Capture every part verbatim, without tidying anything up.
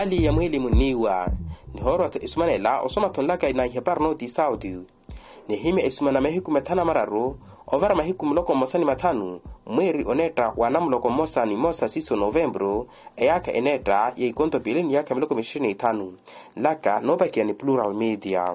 Hali ya mwiilimu nniiwa nihoorwa-tho esumanela osoma-tho nlaka na ihapari nooti sauti. Nihimya esumana mahiku mathanu amararu ovara mahiku muloko mmosa ni mathanu mweeri oneetta wa namuloko mmosa ni mmosa siiso novempuru, eyaakha eneetta ya ikonto piili ni yaakha miloko mixiri ni ithanu. Nlaka noopakiya ni plural media.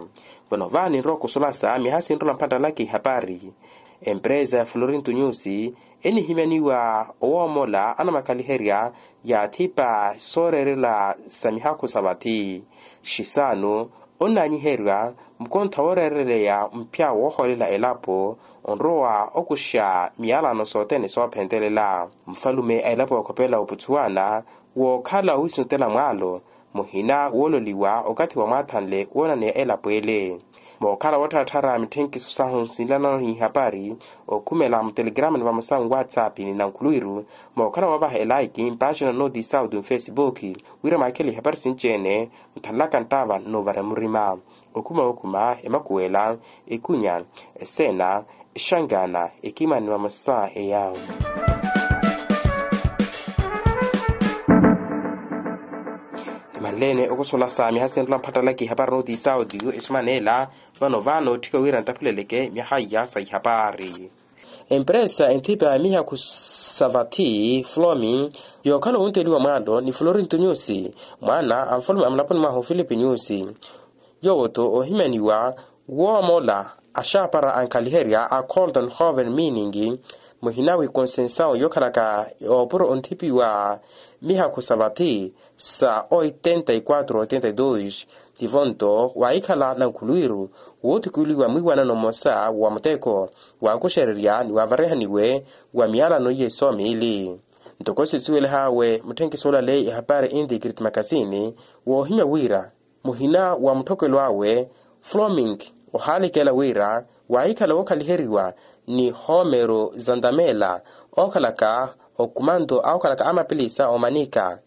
Vano vaani ninrowa okusulasa miyaha sinrola mpattalaka ihapari. Empresa ya florinto nyusi enihimyaniwa owoomola anamakaliherya ya athipa sooreerela sa mihakhu sa vathi. Xisaanu onnaanyiheriwa mukontho wooreereleya mpya woohoolela elapo onrowa okuxa miyalano sothene soophentelela. Mufalume a elapo ya okhopela oputhuwana wookhala owiisintela mwaalo muhina woololiwa okathi wa mwaathanle woonaneya elapo ele. Mookhala wootthatthara mitthenkiso sahu nsinlanano n'ihapari okhumela mutelegrama ni vamosa nwatsapp ni nankhuluwiru. Mookhala woovaha elaiki mpaaxina nooti sauti nfesipuki wira maakhele ihapari sinci-ene nthanlaka nttaava nnoovara murima. Okhuma okhuma emakuwela ekunya eseena exangaana ekimani vamosa eya. Timanleene okusola sa miyaha sinrola mpattalaka ihapari nooti sauti esumanela. Vano vaano otthika wira ntaphuleleke miyaha iya sa ihapari. Empresa enthipa ya mihakhu sa vathi flomi yookhala owonteliwa mwaalo ni florinto nyusi mwaana a nfalume a mulaponi mwaha ofilipi nyusi. Yoowo-tho oohimyaniwa woomola axaapara ankhaliherya a colton hoven meaning muhina wi konsensaw yookhalaka yoopuro onthipiwa mihakhu sa vathi sa oitenta y quatro oitenta y dos. Tivo-nto waahikhala nankhuluwiru woothukuluwiwa mwiiwanano mmosa wa muteko waakuxererya ni waavarihaniwe wa miyalano iye soomiili. Ntoko sisiwelehaawe mutthenkiso olaleyi ehapari inti krit makasini woohimya wira muhina wa mutthokelo awe floming ohaalikela wira waahikhala wookhaliheriwa ni homero zantamela ookhalaka okumanto awookhalaka amapilisa omanika.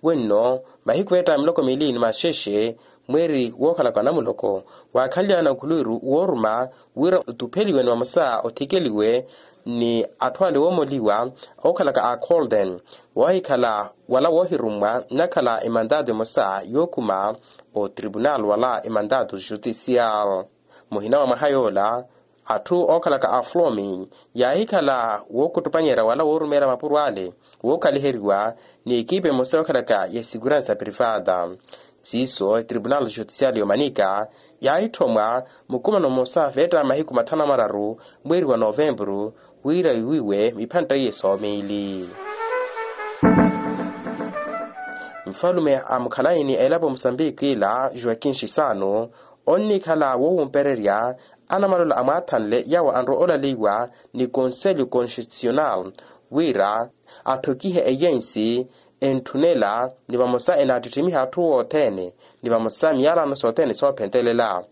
Wenno mahiku eetta miloko miili ni maxexe mweeri wookhalaka anamuloko waakhanlyana okhuluwiru wooruma wira otupheliwe ni vamosa othikeliwe ni atthu ale woomoliwa ookhalaka a colden. Woohikhala wala woohirummwa nnakhala emantatu emosa yookhuma otribunal wala emantatu jutisial. Muhina wa mwaha yoola atthu ookhalaka a flomi yaahikhala wookuttupanyerya wala woorumeerya mapuro ale wookhaliheriwa ni ekipa emosa yookhalaka ya esikuransa privata. Siiso etribunal jutisial yomanika yaahitthomwa mukumano mmosa feetta mahiku mathanu amararu mweeri wa novempuru wira wiiwiwe miphantta iye soomiili. Nfalume a mukhalayi ni elapo musambiki ila joaquin xisano onnikhala woowumpererya anamalola amwaathanle yawo anrowa olaleiwa ni konselho konstitucional wira atthokihe eyensi entthunela ni vamosa enaattittimiha atthu othene ni vamosa miyalano sothene soophentelela.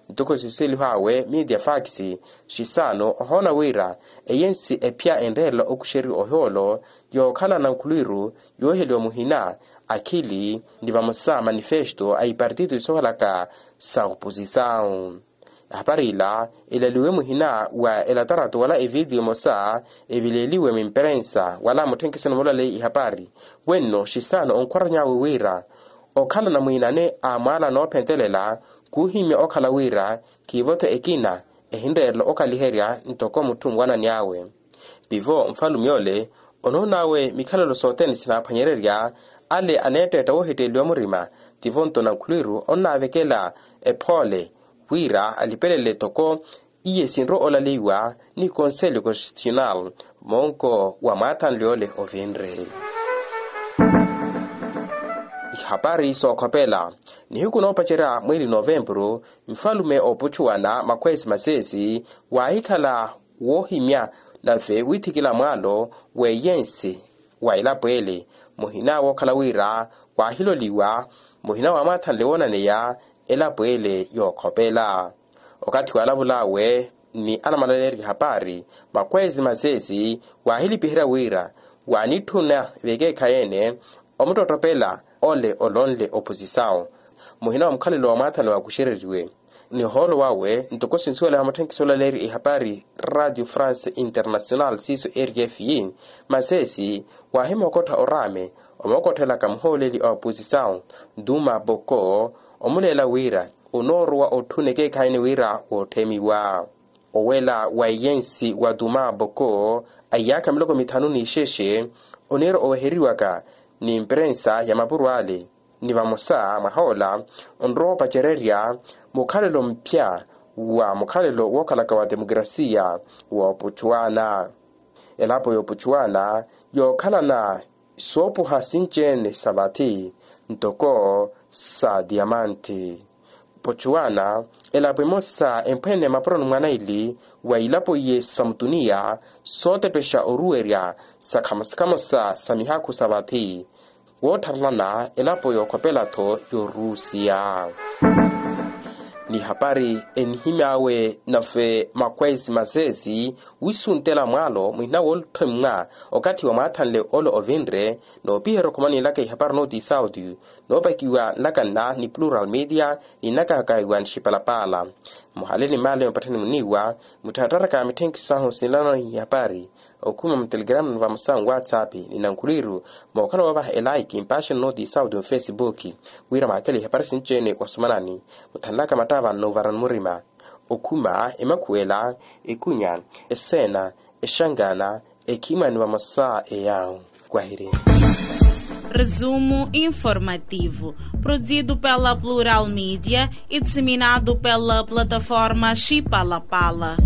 Ntoko siseliho awe media fax xisano ohoona wira eyensi ephya enreerela okuxeriwa ohoolo yookhala nankhuluwiru yooheliwa muhina akhili ni vamosa manifesto a ipartito soohalaka sa oposisaw. Ehapari ila elaliwe muhina wa elatarato wala evidiyo emosa evileeliwe mimperensa wala mutthenkiso numolaleyi ihapari. Wenno xisano onkhwarany'awe wira okhala namwiinane a mwaala noophentelela khuuhimya okhala wira khiivo-tho ekina ehinreerela okhaliherya ntoko mutthu nwanani awe. Pivo nfalume ole onoon'awe mikhalelo sothene sinaaphwanyererya ale aneetteetta woohitteeliwa murima. Tivo-nto nankhuluwiru onnaavekela ephoole wira alipelele toko iye sinrowa olaleiwa ni konselho konstitucional monko wa mwaathanle ole ovinre. Ihapari sookhopela nihiku noopacerya mweeli novempuru nfalume ooputxuwana makhweesi maseesi waahikhala woohimya nave withikila mwaalo w'eyensi wa elapo ele muhina wookhala wira waahiloliwa muhina waamwaathanle woonaneya elapo ele yookhopela. Okathi waalavul'awe ni anamalalerya hapari makhweesi maseesi waahilipiherya wira waanitthuna vekeekhayi-ene omuttottopela ole olonle oposisawu muhina wa mukhalelo wa mwaathanle waakuxereriwe. Ni ohoolo wawe ntoko sinsuwela ya mutthenkiso olaleeriwa ihapari radio france international siiso r f i, masesi waahimookottha oraame omookotthelaka muhooleli a oposisawu, duma boko, omuleela wira onoorowa otthuna ekeekhayi ni wira wootthemiwa. Owela wa eyensi wa duma boko a iyaakha miloko mithanu n'ixexe oniira oweheriwaka ni mperensa ya mapuro ale, ni vamosa mwahoola onrowa opacererya mukhalelo mphya wa mukhalelo wookhalaka wa temukrasiya wa opuchuwana. Elapo ya opuchuwana yookhalana soopuha sinci-ene sa vathi ntoko sa diamanti. Pochuwana elapo emosa emphwene mapuroni mwa naili wa ilapo iye sa mutuniya sootepexa oruwerya sa khamosa khamosa sa mihakhu sa vathi woottharelana elapo yookhopela-tho yorusiya. Ni hapari enihimy'awe nafe makwesi masesi wisuntela mwaalo muhina woolutthemmwa okathi wa mwaathanle ole ovinre noopiherya okhumanilaka ihapari nooti sauti noopakiwa nlaka nna ni plural media ni nnakahaka iwa nixipalapaala. Muhaleli maale mupatthani muniiwa mutthattharaka mitthenkiso ahu sinlano ihapari okhuma mutelegrama ni vamosa nwatsapp ni nankhuliiru mookhala woovaha elaiki mpaxeno nooti sauti mufesibuki wira mwaakele ihapari sinci-ene wasomanani muthanlaka mattava nnuvarani murima okhuma emakhuwela ekunya eseena exangana ekhimani vamosa eyawu. Kwahiri. Resumo informativo produzido pela plural media e disseminado pela plataforma xipalapala.